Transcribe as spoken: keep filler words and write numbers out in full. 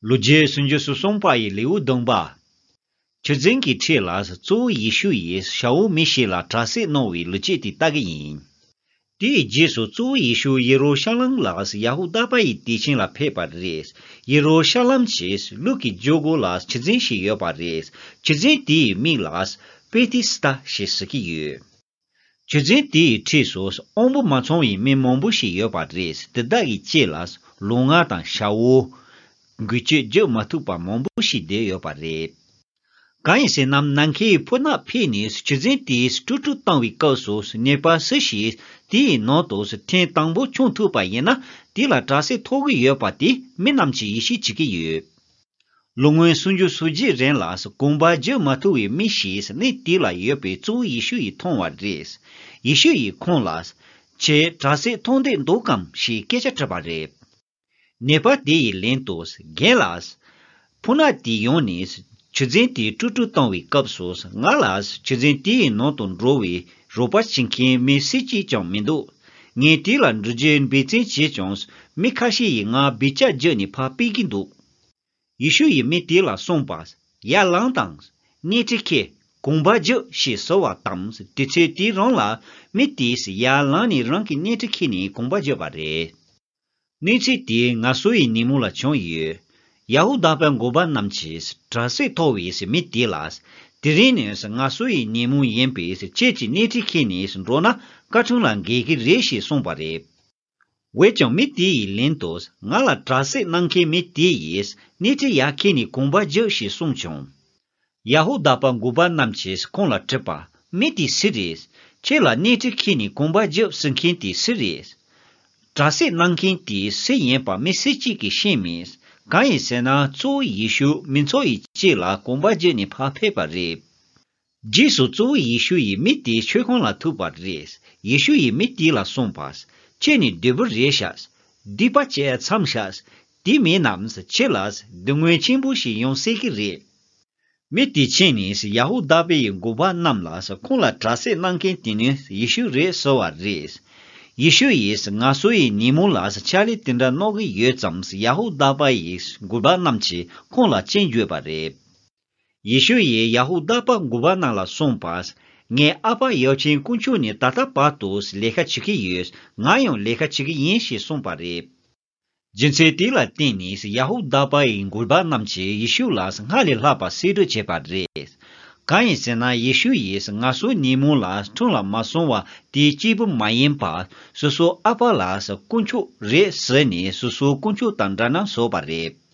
ལོ་རྒྱུས་སུམ་ཅུ་སོ་གསུམ་པ་ཡི་ལེའུ་བདུན་པ། ཆུ་རྫིང་གི་འཁྲིས་ལ་གཙོ་བོ་ཡེ་ཤུ་ཡིས་ཤ་འུ་མི་ཞིག་ལ་དྲག་སྐྱེད་གནང་བའི་ལོ་རྒྱུས་དེ་ལྟ་གི་ཡིན། དེའི་རྗེས་སུ་གཙོ་བོ་ཡེ་ཤུ་ཡེ་རུ་ཤ་ལམ་ལ་ཡ་ཧུ་དཱ་པ་ཡི་དུས་ཆེན་ལ་ཕེབས་པ་རེད། ཡེ་རུ་ཤ་ལམ་གྱི་ལུག་གི་རྒྱུད་སྒོ་ལ་ཆུ་རྫིང་ཞིག་ཡོད་པ་རེད། ཆུ་རྫིང་དེའི་མིང་ལ་པེ་ཐི་སི་ཏ་ཞེས་ཟེར་གྱི་ཡོད། ཆུ་རྫིང་དེའི་འཁྲིས་སུ་དབང་པོ་མ་ཚང་བའི་མི་མང་པོ་ཞིག་ཡོད་པ་རེད། དེ་དག་གི་རྗེས་ལ་ལོང་བ་དང་ཤ་འུ། འགུལ་སྐྱོད་བྱེད་མ་ཐུབ་པ་མང་པོ་ཞིག་བསྡད་ཡོད་པ་རེད། གང་ཡིན་ཟེར་ན། ནམ་མཁའི་ཕོ་ནག་ཕེབས་ནས་ཆུ་རྫིང་དེ་དཀྲུག་དཀྲུག་བཏང་བའི་སྐབས་སུ། ནད་པ་སུ་ཞིག་དེའི་ནང་དུ་ཐེངས་དང་པོ་མཆོང་ཐུབ་པ་ཡིན་ན། དེ་ལ་དྲག་སྐྱེད་ཐོབ་ཀྱི་ཡོད་པ་དེ་མི་རྣམས་ཀྱིས་ཡིད་ཆེས་བྱེད་ཀྱི་ཡོད། ལོ་ངོ་སུམ་ཅུ་སོ་བརྒྱད་རིང་ལ་གོམ་པ་རྒྱག་མ་ཐུབ་པའི་མི་ཞིག་གནས་དེ་ལ་ཡོད་པའི་གཙོ་བོ་ཡེ་ཤུ་ཡིས་མཐོང་བ་རེད། ཡེ་ཤུ་ཡིས་ཁོང་ལ། ཁྱེད་དྲག་སྐྱེད་ཐོབ་འདོད་འདུག་གམ་ཞེས་སྐད་ཆ་དྲིས་པ་རེད། ནད་པ་དེ་ཡིས་ལན་དུ། རྒན་ལགས། ཕོ་ནག་དེ་ཡོང་ནས་ཆུ་རྫིང་དེ་དཀྲུག་དཀྲུག་བཏང་བའི་སྐབས་སུ། ང་ལ་ཆུ་རྫིང་དེའི་ནང་དུ་འགྲོ་བའི་རོགས་པ་བྱེད་མཁན་མི་སུ་གཅིག་ཀྱང་མི་འདུག་ངས་དེ་ལ་འགྲུལ་བཞུད་འབད་བརྩོན་བྱས་ཀྱང་། མི་ཁ་ཤས་ཡིས་ང་འབུད་རྐྱང་བརྒྱབ་ནས་ཕར་སྤོས་ཀྱི་འདུག་ཡེ་ཤུ་ཡིས་མི་དེ་ལ་གསུངས་པ། ཡར་ལངས་དང་། སྣེ་ཁྲིད་ཁྱེར། གོམ་པ་རྒྱག་ཞེས་ཟེར་བ་དང་། དུས་ཚོད་དེ་རང་ལ་མི་དེས་ཡར་ལངས་ནས་རང་གི་སྣེ་ཁྲིད་ཁྱེར་ནས་གོམ་པ་བརྒྱབ་པ་རེད། གནས་ཚུལ་དེ་ང་ཚོ་ཡི་ཉིན་མོ་ལ་བྱུང་ཡོད། ཡ་ཧུ་དཱ་པའི་འགོ་པ་རྣམས་ཀྱིས་དྲག་སྐྱེད་ཐོབ་པའི་མི་དེ་ལ། དེ་རིང་ནི་ང་ཚོ་ཡི་ཉིན་མོ་ཡིན་པས། ཁྱེད་ཀྱིས་སྣེ་ཁྲིད་ཁྱེར་ནས་འགྲོ་ན་བཀའ་དྲིན་ལ་འགལ་གྱི་རེད་ཞེས་གསུངས་པ་རེད། འོན་ཀྱང་མི་དེ་ཡིས་ལན་དུ། ང་ལ་དྲག་སྐྱེད་གནང་མཁན་མི་དེ་ཡིས་སྣེ་ཁྲིད་ཡར་ཁྱེར་ནས་གོམ་པ་རྒྱག་ཞེས་གསུངས་བྱུང་། ཡ་ཧུ་དཱ་པ་འགོ་པ་རྣམས་ཀྱིས་ཁོང་ལ་དྲིས་པ། མི་དེ་སུ་རེད། ཁྱེད་ལ་སྣེ་ཁྲིད་ཁྱེར་ནས་གོམ་པ་རྒྱག་ཟེར་མཁན་དེ་སུ་རེད། དྲག་སྐྱེད་གནང་མཁན་དེ་སུ་ཡིན་པ་མི་སུ་གཅིག་གིས་ཤེས་མེད། གང་ཡིན་ཟེར་ན། གཙོ་བོ་ཡེ་ཤུ་མི་ཚོགས་ཡི་དཀྱིལ་ལ་གོམ་པ་བརྒྱབ་ནས་ཕར་ཕེབས་པ་རེད། རྗེས་སུ་གཙོ་བོ་ཡེ་ཤུ་ཡིས་མི་དེའི་མཆོད་ཁང་ལ་ཐུག་པ་རེད། ཡེ་ཤུ་ཡིས་མི་དེ་ལ་གསུངས་པ། ཁྱེད་ནི་བདུད་པོ་རེད་ཤག་སྡིག་པ་བྱས་མཚམས་བཞག་དེ་མིན་ན་ཁྱེད་ལ་སྡུག་བསྔལ་ཆེན་པོ་ཞིག་ཡོང་སྲིད་ཀྱི་རེད། མི་དེ་ཕྱིན་ནས་ཡ་ཧུ་དཱ་པའི་འགོ་པ་རྣམས་ལ། ཁོང་ལ་དྲག་སྐྱེད་གནང་མཁན་དེ་ནི་ཡེ་ཤུ་རེད་ཟེར་བ་རེད། ཡེ་ཤུ་ཡིས་ང་ཚོ་ཡི་ཉིན་མོ་ལ་ཕྱག་ལས་དེ་འདྲ་གནང་གི་ཡོད་ཙང་། ཡ་ཧུ་དཱ་པ་ཡི་འགོ་པ་རྣམས་ཀྱིས་ཁོང་ལ་སྐྱོན་བརྗོད་པ་རེད། ཡེ་ཤུ་ཡིས་ཡ་ཧུ་དཱ་པ་འགོ་པ་རྣམས་ལ་གསུངས་པ། ངའི་ཨ་ཕ་ཡབ་ཆེན་དཀོན་མཆོག་ནི་ད་ལྟ་བར་དུ་ལས་ཀ་བྱེད་ཀྱི་ཡོད། ང་ཡང་ལས་ཀ་བྱེད་ཀྱི་ཡིན་ཞེས་གསུངས་པ་རེད། རྒྱུ་མཚན་དེ་ལ་བརྟེན་ནས་ཡ་ཧུ་དཱ་པ་ཡི་འགོ་པ་རྣམས་ཀྱིས་ཡེ་ཤུ་ལ་སྔར་ལས་ལྷག་པ་གསེད་བཀྲོལ་བྱས་པ་རེད། གང་ཡིན་ཟེར་ན། ཡེ་ཤུ་ཡིས་ང་ཚོའི་ཉིན་མོ་ལ་ཁྲིམས་ལ་མ་སོང་བ་དེ་གཅིག་པུ་མ་ཡིན་པར། སོ་སོའི་ཨ་ཕ་ལ་དཀོན་མཆོག་རེད་ཟེར་ནས་སོ་སོའི་དཀོན་མཆོག་དང་འདྲ་མཉམ་བཟོས་པ་རེད།